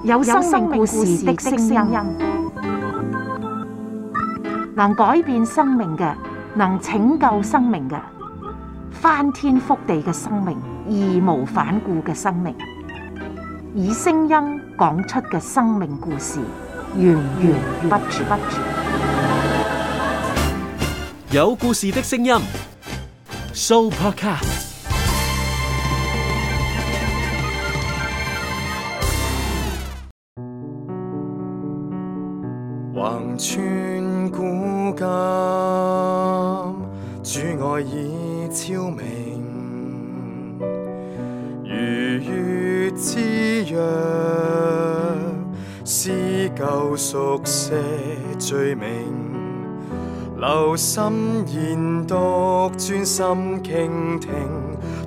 有生命故事的聲音，能改變生命嘅，能拯救生命嘅，翻天覆地嘅生命，義無反顧嘅生命，以聲音講出嘅生命故事，源源不絕。有故事的聲音 ，Sooopodcast。橫穿古今，主愛已超明，如月之約，撕舊熟寫罪名，留心研讀，專心傾聽，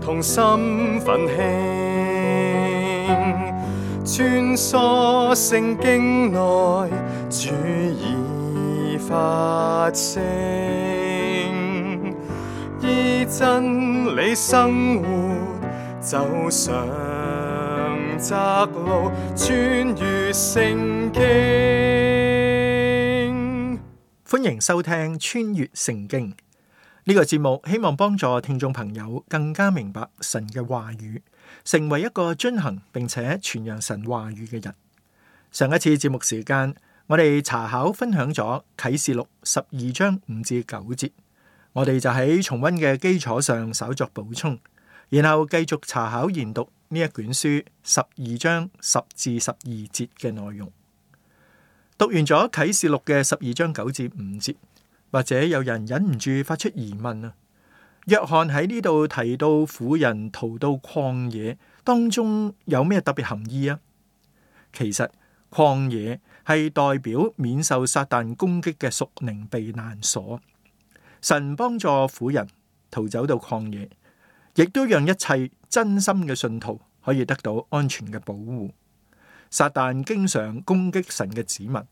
同心奮興，穿梭聖經內，主已發聲，依真理生活，走上窄路，穿越聖經。歡迎收聽穿越聖經呢個節目，希望幫助聽眾朋友更加明白神嘅話語，成為一個遵行並且傳揚神話語嘅人。上一次節目時間，我哋查考分享咗啟示錄12章5至9節，我哋就喺重溫嘅基礎上稍作補充，然後繼續查考研讀呢一卷書12章10至12節嘅內容。讀完咗啟示錄嘅12章9至5節，或者有人忍唔住發出疑問啊，約翰喺呢度提到婦人逃到曠野當中有咩特別含義啊？其實曠野係代表免受撒旦攻擊嘅屬靈避難所，神幫助婦人逃走到曠野，亦都讓一切真心嘅信徒可以得到安全嘅保護。撒旦經常攻擊神嘅子民，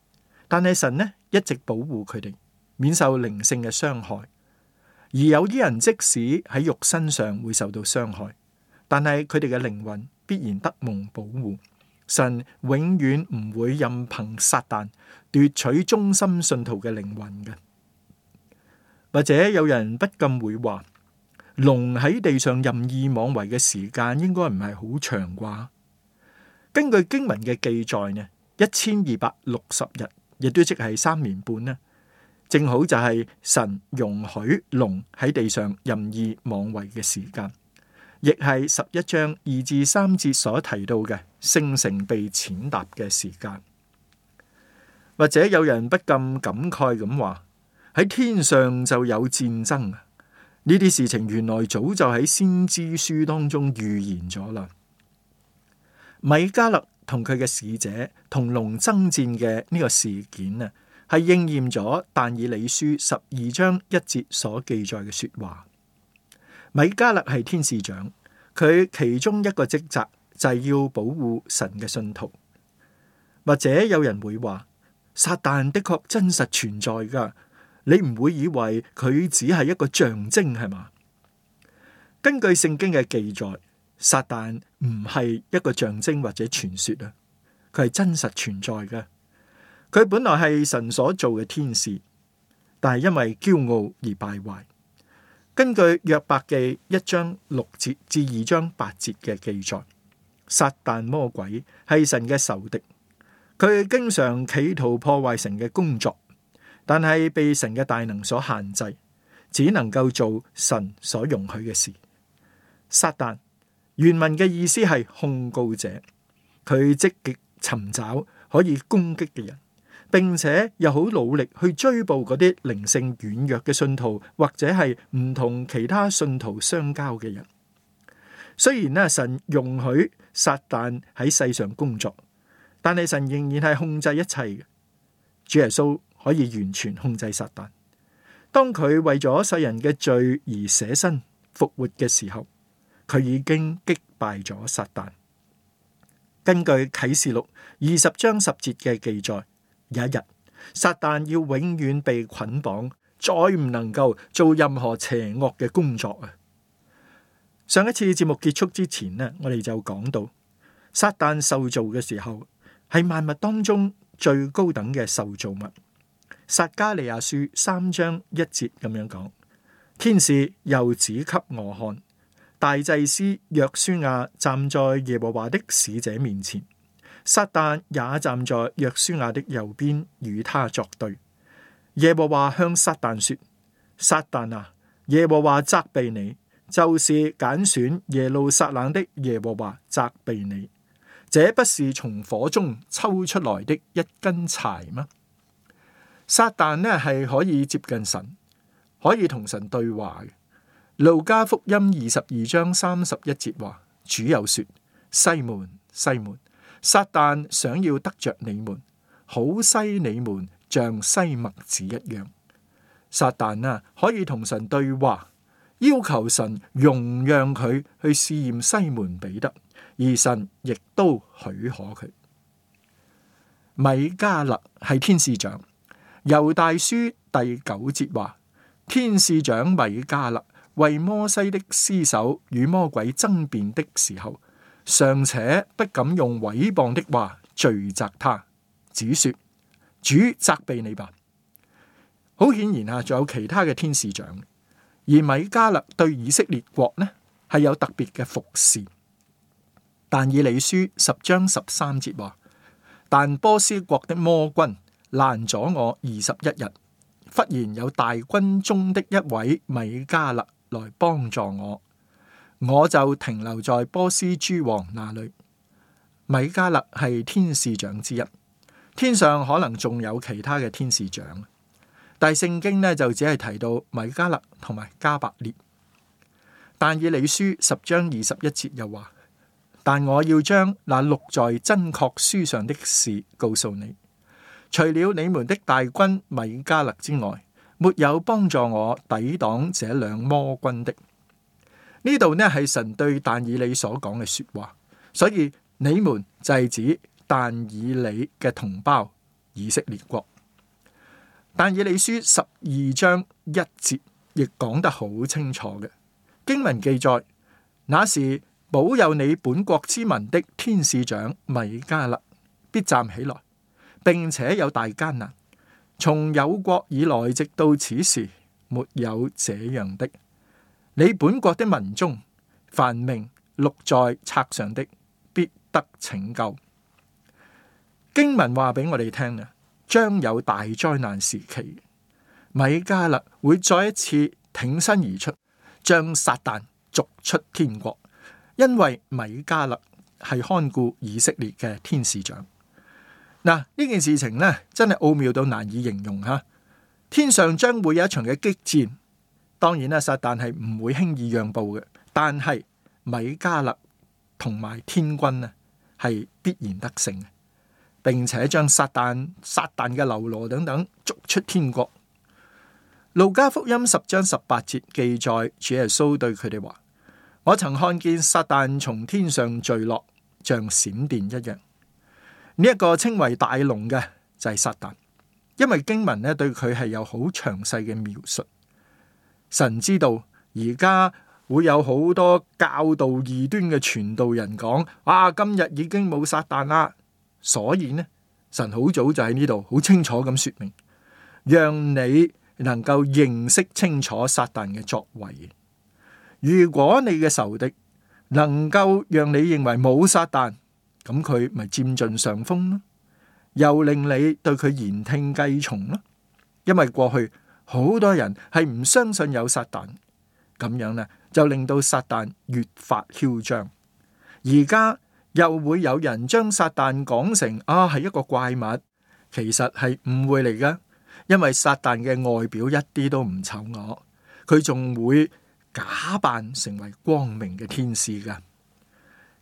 但係神呢一直保護佢哋，免受靈性嘅傷害。而有啲人即使喺肉身上會受到傷害，但係佢哋嘅靈魂必然得蒙保護。神永遠唔會任憑撒旦奪取忠心信徒嘅靈魂嘅。或者有人不禁會話，龍喺地上任意妄為嘅時間應該唔係好長啩？根據經文嘅記載呢，1260日，亦都即係3年半呢，正好就係神容許龍喺地上任意妄為嘅時間，亦係11章2至3節所提到嘅聖城被踐踏嘅時間。或者有人不禁感慨咁話，喺天上就有戰爭啊！呢啲事情原來早就喺先知書當中預言咗啦。米迦勒同佢嘅使者同龍爭戰嘅呢個事件啊，係應驗咗但以理書12章1節所記載嘅說話。米迦勒係天使長，佢其中一個職責就係要保護神嘅信徒。或者有人會話，撒旦的確真實存在噶，你唔會以為佢只係一個象徵係嘛？根據聖經嘅記載，撒旦唔係一個象徵或者傳說啊，佢係真實存在嘅。佢本來係神所做嘅天使，但係因為驕傲而敗壞。根據約伯記1章6節至2章8節嘅記載，撒旦魔鬼係神嘅仇敵，佢經常企圖破壞神嘅工作，但係被神嘅大能所限制，只能夠做神所容許嘅事。撒旦原文嘅意思係控告者，佢積極尋找可以攻擊嘅人，並且又好努力去追捕嗰啲靈性軟弱嘅信徒，或者係唔同其他信徒相交嘅人。雖然呢，神容許撒旦喺世上工作，但係神仍然係控制一切嘅。主耶穌可以完全控制撒旦。當佢為咗世人嘅罪而捨身復活嘅時候，佢已經擊敗咗撒旦。根據啟示錄20章10節嘅記載，有一日撒旦要永遠被捆綁，再唔能夠做任何邪惡嘅工作啊！上一次節目結束之前呢，我哋就講到撒旦受造嘅時候係萬物當中最高等嘅受造物。撒迦利亞書3章1節咁樣講：天使又指給我看，大祭司約書亞站在耶和華的使者面前，撒旦也站在約書亞的右邊，與他作對。耶和華向撒旦說：撒旦啊，耶和華責備你，就是揀選耶路撒冷的耶和華責備你。這不是從火中抽出來的一根柴嗎？撒旦呢係可以接近神，可以同神對話嘅。路加福音22章31節話：主又說，西門，西門，撒旦想要得着你們，好篩你們像篩麥子一樣。撒旦啊可以同神對話，要求神容讓佢去試驗西門彼得，而神亦都許可佢。米迦勒係天使長，猶大書第9節話：天使長米迦勒為摩西的屍首與魔鬼爭辯的時候，尚且不敢用毀謗的話罪責他，只說主責備你吧。好顯然啊，仲有其他嘅天使長，而米迦勒對以色列國呢係有特別嘅服侍。但以理書10章13節話：但波斯國的魔軍攔咗我21日，忽然有大軍中的一位米迦勒來幫助我，我就停留在波斯諸王那裏。米迦勒係天使長之一，天上可能仲有其他嘅天使長，但係聖經呢就只係提到米迦勒同埋加百列。但以理書10章21節又話：但我要將那錄在真確書上的事告訴你，除了你們的大軍米迦勒之外，沒有幫助我抵擋這兩魔軍的。呢度呢係神對但以理所講嘅說話，所以你們就係指但以理嘅同胞以色列國。但以理書12章1節亦講得好清楚嘅經文記載，那時保佑你本國之民的天使長米迦勒必站起來，並且有大艱難，從有國以來直到此時，沒有這樣的。你本國的民中，凡名錄在冊上的，必得拯救。經文話俾我哋聽啊，將有大災難時期，米迦勒會再一次挺身而出，將撒旦逐出天國，因為米迦勒係看顧以色列嘅天使長。嗱，呢件事情呢，真係奧妙到難以形容吓。天上將會有一場嘅激戰，當然啦，撒旦係唔會輕易讓步嘅，但係米迦勒同埋天軍呢係必然得勝嘅，並且將撒旦嘅流羅等等逐出天國。路加福音10章18節記載，主耶穌對佢哋話：我曾看見撒旦從天上墜落，像閃電一樣。呢一個稱為大龍嘅就係撒旦，因為經文咧對佢係有好詳細嘅描述。神知道而家會有好多教導異端嘅傳道人講：今日已經冇撒旦啦。所以呢，神好早就喺呢度好清楚咁說明，讓你能夠認識清楚撒旦嘅作為。如果你嘅仇敵能夠讓你認為冇撒旦，咁佢咪佔盡上風咯，又令你對佢言聽計從咯。因為過去好多人係唔相信有撒旦，咁樣呢就令到撒旦越發囂張。而家又會有人將撒旦講成係一個怪物，其實係誤會嚟噶。因為撒旦嘅外表一啲都唔醜惡，佢仲會假扮成為光明嘅天使噶。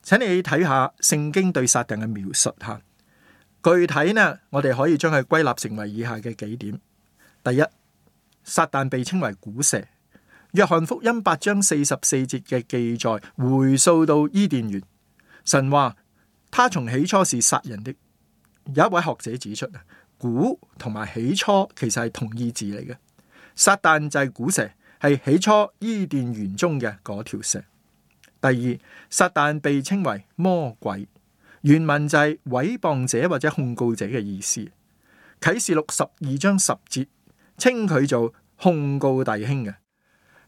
請你睇下聖經對撒旦嘅描述吓，具體呢，我哋可以將佢歸納成為以下嘅幾點。第一，撒旦被稱為古蛇。約翰福音8章44節嘅記載，回溯到伊甸園，神話他從起初是殺人的。有一位學者指出啊，古同埋起初其實係同義字嚟嘅。撒旦就係古蛇，係起初伊甸園中嘅嗰條蛇。第二，撒旦被稱為魔鬼。原文就係毀謗者或者控告者嘅意思。啟示錄12章10節稱佢做控告弟兄嘅。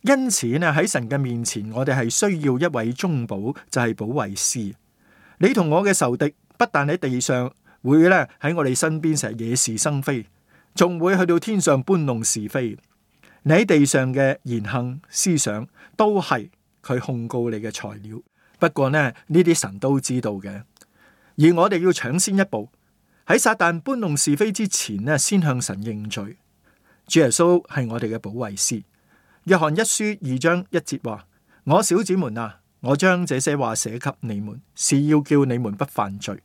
因此呢，喺神嘅面前，我哋係需要一位中保，就係保惠師。你同我嘅仇敵不但喺地上會咧喺我哋身邊成日惹是生非，仲會去到天上搬弄是非。你喺地上嘅言行思想都係佢控告你嘅材料。不過呢啲神都知道嘅，而我哋要搶先一步，喺撒旦搬弄是非之前呢，先向神認罪。主耶穌係我哋嘅保惠師。約翰一書2章1節話：我小子們啊，我將這些話寫給你們，是要叫你們不犯罪。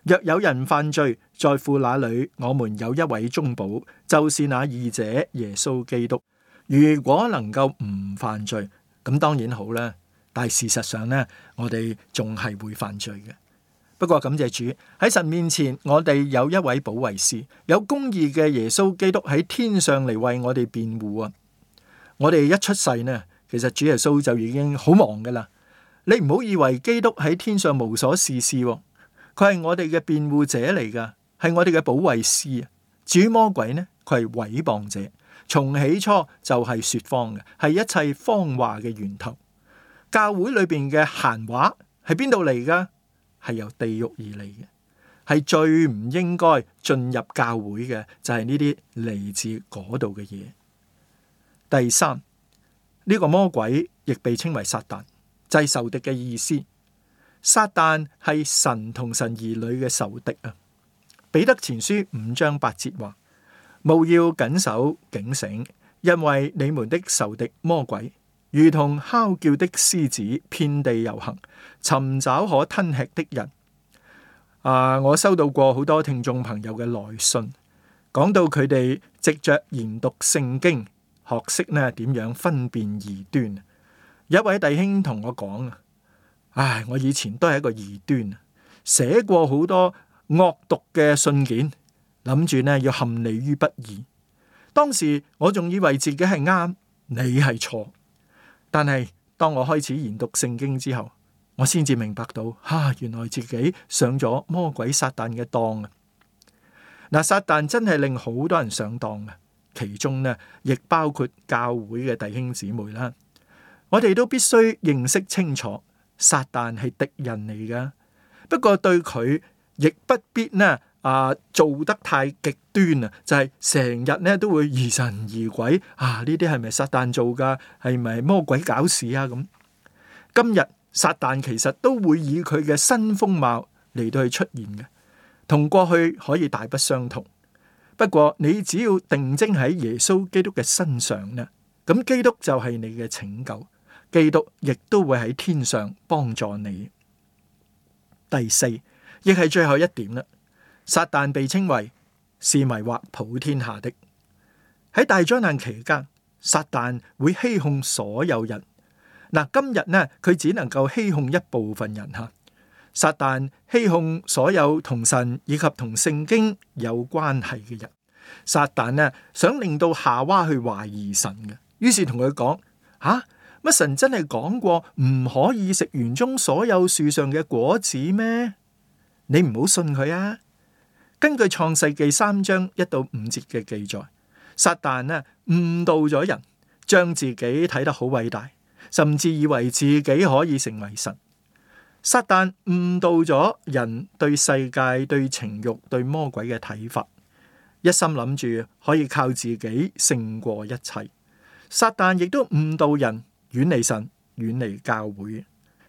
若有人犯罪，在父那裏，我們有一位中保，就是那義者耶穌基督。如果能夠唔犯罪，咁當然好啦。但係事實上呢，我哋仲係會犯罪嘅。不過感謝主，喺神面前，我哋有一位保惠師，有公義嘅耶穌基督喺天上嚟為我哋辯護啊！我哋一出世呢，其實主耶穌就已經好忙噶啦。你唔好以為基督喺天上無所事事，佢係我哋嘅辯護者嚟噶，係我哋嘅保惠師啊。至於魔鬼呢，佢係毀謗者，從起初就係說謊嘅，係一切謊話嘅源頭。教會裏邊嘅閒話係邊度嚟噶？係由地獄而嚟嘅，係最唔應該進入教會嘅，就係呢啲嚟自嗰度嘅嘢。第三，呢個魔鬼亦被稱為撒旦，就係仇敵嘅意思。撒旦係神同神兒女嘅仇敵啊。彼得前書5章8節話：務要謹守警醒，因為你們的仇敵魔鬼如同哮叫的獅子，遍地遊行，尋找可吞吃的人。我收到過好多聽眾朋友嘅來信，講到佢哋藉着研讀聖經，學識呢點樣分辨異端。有一位弟兄同我講啊，我以前都係一個異端，寫過好多惡毒嘅信件，諗住呢要陷你於不義。當時我仲以為自己係啱，你係錯。但係當我開始研讀聖經之後，我先至明白到，原來自己上咗魔鬼撒旦嘅當啊！嗱，撒旦真係令好多人上當嘅，其中呢亦包括教會嘅弟兄姊妹啦。我哋都必須認識清楚，撒旦係敵人嚟噶。不過對佢亦不必呢做得太極端啊，就係成日呢都會疑神疑鬼呢啲係咪撒旦做噶？係咪魔鬼搞事啊？咁今日撒旦其實都會以佢嘅新風貌嚟到去出現嘅，同過去可以大不相同。不過你只要定睛喺耶穌基督嘅身上呢，咁基督就係你嘅拯救，基督亦都會喺天上幫助你。第四，亦係最後一點啦。撒旦被稱為是迷惑普天下的。喺大災難期間，撒旦會欺哄所有人。今日呢，佢只能夠欺哄一部分人吓。撒旦欺哄所有同神以及同聖經有關係嘅人。撒旦呢，想令到夏娃去懷疑神嘅，於是同佢講：乜神真係講過唔可以食園中所有樹上嘅果子咩？你唔好信佢啊！根據創世記3章1到5節嘅記載，撒旦呢誤導咗人，將自己睇得好偉大，甚至以為自己可以成為神。撒旦誤導咗人對世界、對情慾、對魔鬼嘅睇法，一心諗住可以靠自己勝過一切。撒旦亦都誤導人遠離神、遠離教會。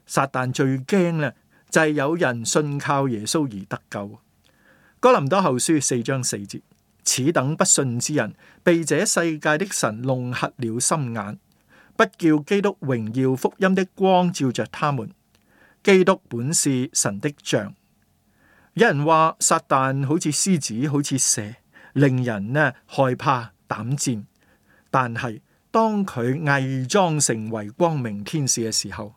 撒旦最驚咧就係有人信靠耶穌而得救。哥林多後書4章4節，此等不信之人，被這世界的神弄瞎了心眼，不叫基督榮耀福音的光照着他們。基督本是神的像。有人話撒旦好似獅子，好似蛇，令人害怕膽戰。但係當佢偽裝成為光明天使嘅時候，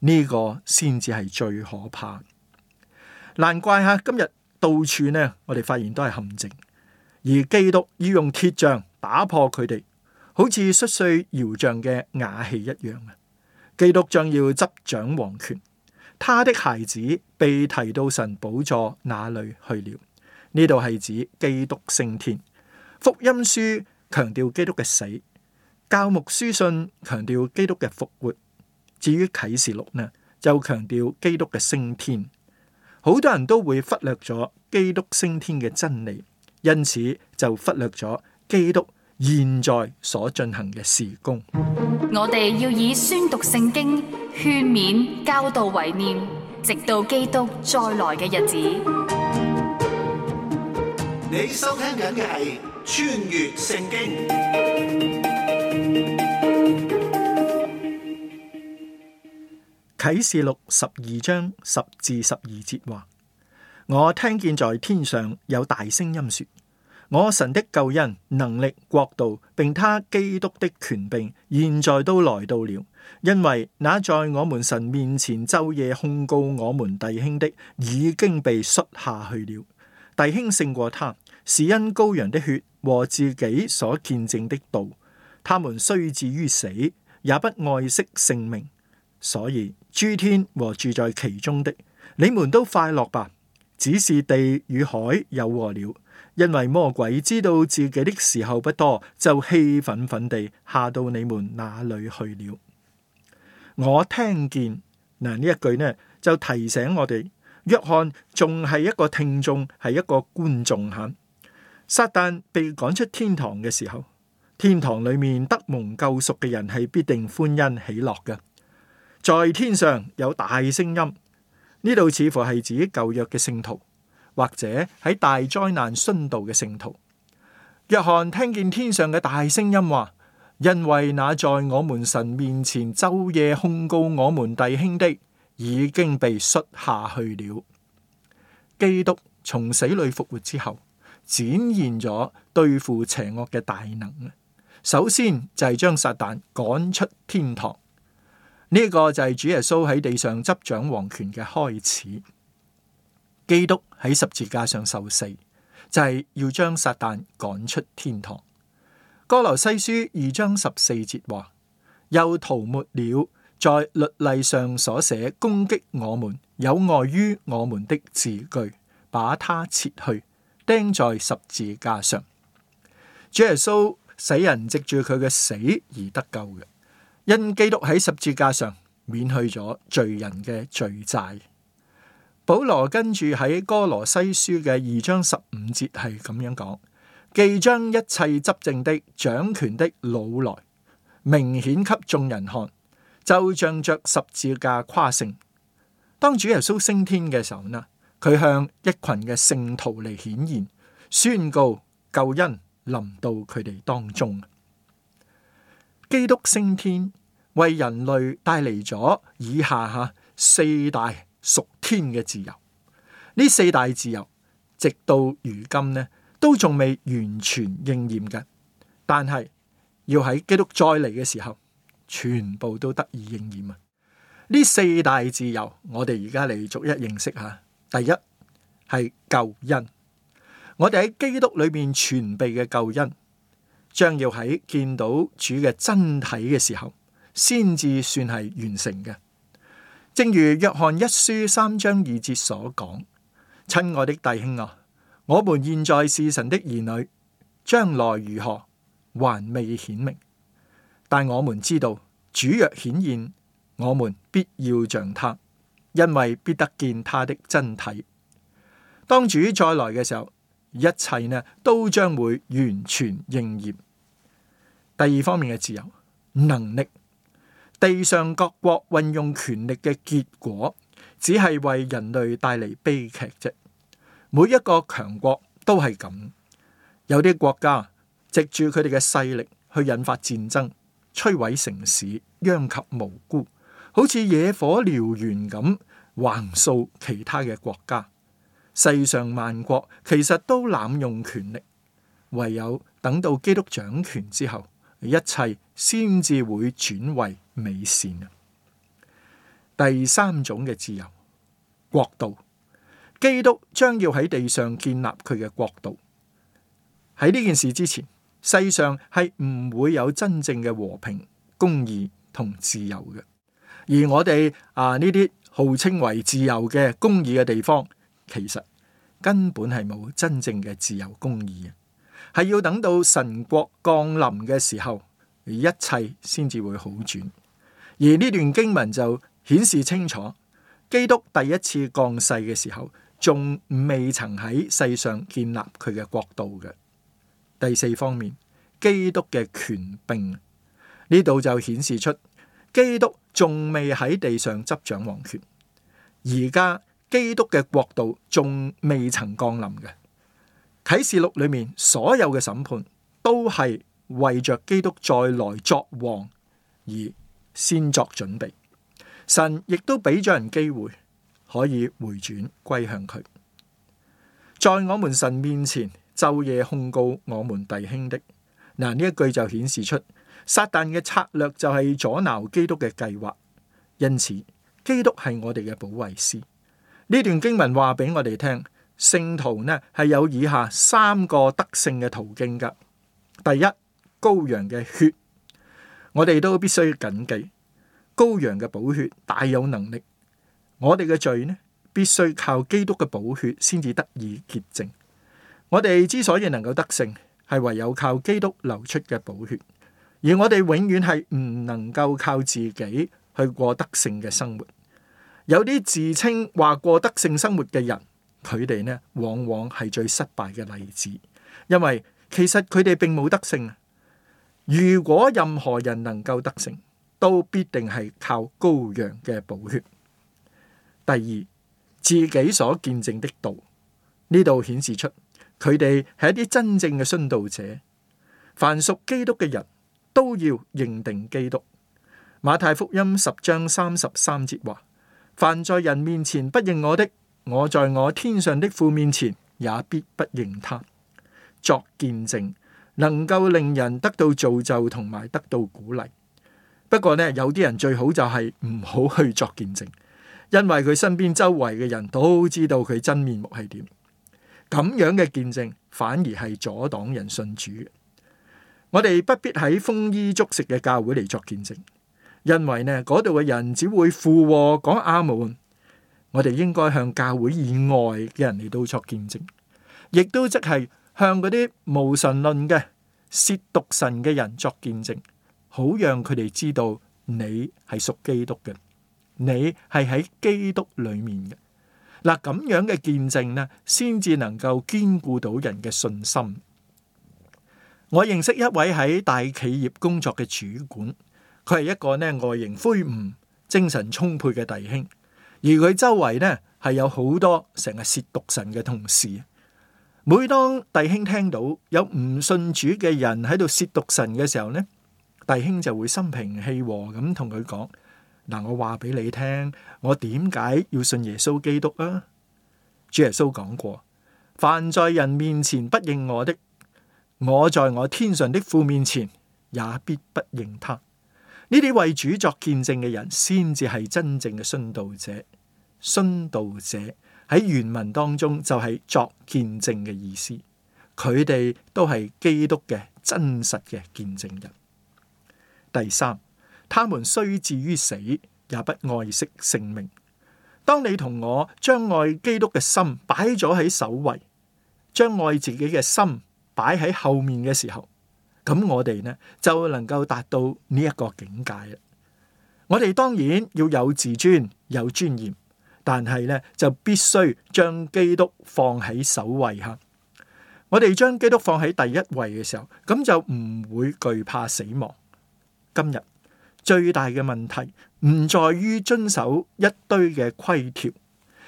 呢個先至係最可怕。難怪今日到處我哋發現都係陷阱，而基督要用鐵杖打破佢哋，好似摔碎窯匠嘅瓦器一樣。基督將要執掌王權，他的孩子被提到神寶座那裏去了。呢度係指基督升天。福音書強調基督嘅死，教牧書信強調基督嘅復活。至於啟示錄呢，就強調基督嘅升天。好多人都會忽略咗基督升天嘅真理，因此就忽略咗基督現在所進行嘅事工。我哋要以宣讀聖經、勸勉、教導為念，直到基督再來嘅日子。你收聽緊嘅係穿越聖經。啟示錄12章10至12節話：我聽見在天上有大聲音說，我神的救恩、能力、國度，並他基督的權柄，現在都來到了。因為那在我們神面前晝夜控告我們弟兄的，已經被摔下去了。弟兄勝過他，是因羔羊的血和自己所見證的道。他們雖至於死，也不愛惜性命。所以諸天和住在其中的，你們都快樂吧。只是地與海有禍了，因為魔鬼知道自己的時候不多，就氣憤憤地下到你們那裏去了。我聽見嗱，呢一句呢，就提醒我哋，約翰仲係一個聽眾，係一個觀眾吓。撒旦被趕出天堂嘅時候，天堂裏面得蒙救贖嘅人係必定歡欣喜樂嘅。在天上有大聲音，呢度似乎係指舊約嘅聖徒，或者喺大災難殉道嘅聖徒。約翰聽見天上嘅大聲音話：因為那在我們神面前晝夜控告我們弟兄的，已經被摔下去了。基督從死裏復活之後，展現咗對付邪惡嘅大能。首先就係將撒旦趕出天堂。呢個就係主耶穌喺地上執掌王權嘅開始。基督喺十字架上受死，就係要將撒旦趕出天堂。哥羅西書2章14節話：又塗抹了在律例上所寫攻擊我們有礙於我們的字句，把它撤去，釘在十字架上。主耶穌使人藉住佢嘅死而得救嘅。因基督喺十字架上免去咗罪人嘅罪債。保羅跟住喺哥羅西書嘅2章15節係咁樣講：既將一切執政的、掌權的擄來，明顯給眾人看，就仗着十字架誇勝。當主耶穌升天嘅時候呢，佢向一群嘅聖徒嚟顯現，宣告救恩臨到佢哋當中。基督升天為人類帶嚟咗以下四大屬天嘅自由。呢四大自由直到如今呢都仲未完全應驗嘅，但係要喺基督再嚟嘅時候，全部都得以應驗啊！呢四大自由我哋而家嚟逐一認識下。第一係救恩，我哋喺基督裏面全備嘅救恩，將要喺見到主嘅真體嘅時候，先至算係完成嘅。正如約翰一書3章2節所講：親愛的弟兄啊，我們現在是神的兒女，將來如何還未顯明，但我們知道主若顯現，我們必要像他，因為必得見他的真體。當主再來嘅時候，一切呢都將會完全應驗。第二方面嘅自由，能力，地上各國運用權力嘅結果，只係為人類帶嚟悲劇啫。每一個強國都係咁，有啲國家藉住佢哋嘅勢力去引發戰爭，摧毀城市，殃及無辜，好似野火燎原咁橫掃其他嘅國家。世上萬國其實都濫用權力，唯有等到基督掌權之後，一切先至會轉為美善。第三種嘅自由，國度，基督將要喺地上建立佢嘅國度。喺呢件事之前，世上係唔會有真正嘅和平、公義同自由嘅。而我哋呢啲號稱為自由嘅公義嘅地方，其實根本係冇真正嘅自由公義，係要等到神國降臨嘅時候，一切先至會好轉。而呢段經文就顯示清楚，基督第一次降世嘅時候，仲未曾喺世上建立佢嘅國度嘅。第四方面，基督嘅權柄，呢度就顯示出基督仲未喺地上執掌王權，而家基督嘅國度仲未曾降臨嘅。啟示錄裏面所有嘅審判都係為着基督再來作王而先作準備。神亦都俾咗人機會可以回轉歸向佢。在我們神面前晝夜控告我們弟兄的，嗱，呢一句就顯示出撒旦嘅策略就係阻撓基督嘅計劃。因此基督係我哋嘅保惠師。呢段經文話俾我哋聽，聖徒呢係有以下三個得勝嘅途徑噶。第一，羔羊嘅血，我哋都必須謹記，羔羊嘅寶血大有能力。我哋嘅罪呢，必須靠基督嘅寶血先至得以潔淨。我哋之所以能夠得勝，係唯有靠基督流出嘅寶血。而我哋永遠係唔能夠靠自己去過得勝嘅生活。有啲自稱話過得勝生活嘅人，佢哋呢往往係最失敗嘅例子，因為其實佢哋並冇得勝。如果任何人能夠得勝，都必定係靠羔羊嘅寶血。第二，自己所見證的道，呢度顯示出佢哋係一啲真正嘅殉道者。凡屬基督嘅人都要認定基督。馬太福音10章33節話：凡在人面前不認我的，我在我天上的父面前也必不認他。作見證能夠令人得到造就同埋得到鼓勵。不過呢，有啲人最好就係唔好去作見證，因為佢身邊周圍嘅人都知道佢真面目係點。咁樣嘅見證反而係阻擋人信主嘅。我哋不必喺豐衣足食嘅教會嚟作見證，因為呢嗰度嘅人只會附和講阿門。我哋應該向教會以外嘅人嚟到作見證，亦都即係向嗰啲無神論嘅褻瀆神嘅人作見證，好讓佢哋知道你係屬基督嘅，你係喺基督裏面嘅。嗱，咁樣嘅見證呢，先至能夠堅固到人嘅信心。我認識一位喺大企業工作嘅主管，佢係一個呢外形魁梧、精神充沛嘅弟兄，而佢周圍呢係有好多成日褻瀆神嘅同事。每當弟兄聽到有唔信主嘅人喺度褻瀆神嘅時候呢，弟兄就會心平氣和咁同佢講：嗱，我話俾你聽，我點解要信耶穌基督啊？主耶穌講過：凡在人面前不認我的，我在我天上的父面前也必不認他。呢啲為主作見證嘅人，先至係真正嘅殉道者。殉道者喺原文當中就係作見證嘅意思，佢哋都係基督嘅真實嘅見證人。第三，他們雖至於死，也不愛惜性命。當你同我將愛基督嘅心擺咗喺首位，將愛自己嘅心擺喺後面嘅時候，咁我哋呢就能夠達到呢一個境界啦。我哋當然要有自尊、有尊嚴，但係呢就必須將基督放喺首位吓。我哋將基督放喺第一位嘅時候，咁就唔會懼怕死亡。今日最大嘅問題唔在於遵守一堆嘅規條，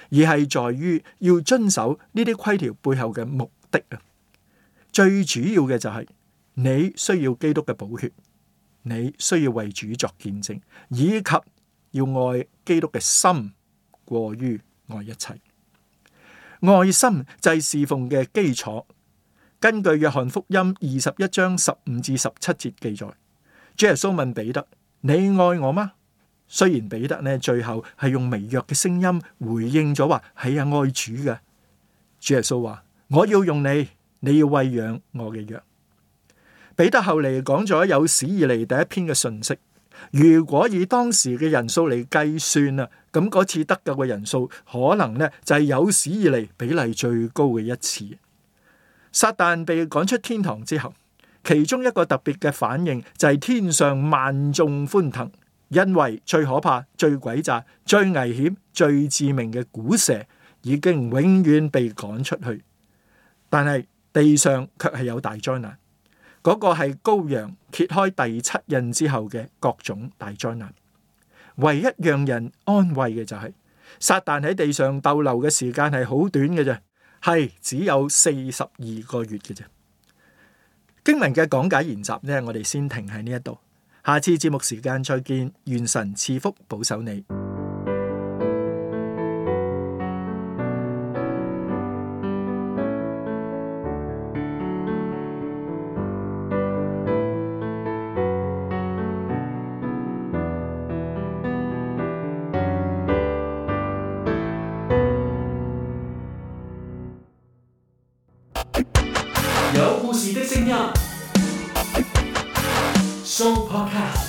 而係在於要遵守呢啲規條背後嘅目的啊。最主要嘅就係你需要基督嘅寶血，你需要為主作見證，以及要愛基督嘅心過於愛一切。愛心就係侍奉嘅基礎。根據約翰福音21章15至17節記載，主耶穌問彼得：你愛我嗎？雖然彼得呢最後係用微弱嘅聲音回應咗話係啊，愛主嘅。主耶穌話：我要用你，你要餵養我嘅羊。彼得後嚟講咗有史以嚟第一篇嘅信息。如果以當時嘅人數嚟計算啊，咁嗰次得救嘅人數可能呢就係有史以嚟比例最高嘅一次。撒旦被趕出天堂之後，其中一個特別嘅反應就係天上萬眾歡騰，因為最可怕、最詭詐、最危險、最致命嘅古蛇已經永遠被趕出去。但係地上卻係有大災難，嗰個係羔羊揭開第7印之後嘅各種大災難。唯一讓人安慰嘅就係撒旦喺地上逗留嘅時間係好短嘅啫，係只有42個月嘅啫。經文嘅講解研習呢，我哋先停喺呢一度，下次節目時間再見，願神賜福保守你。有故事的聲音，Show Podcast。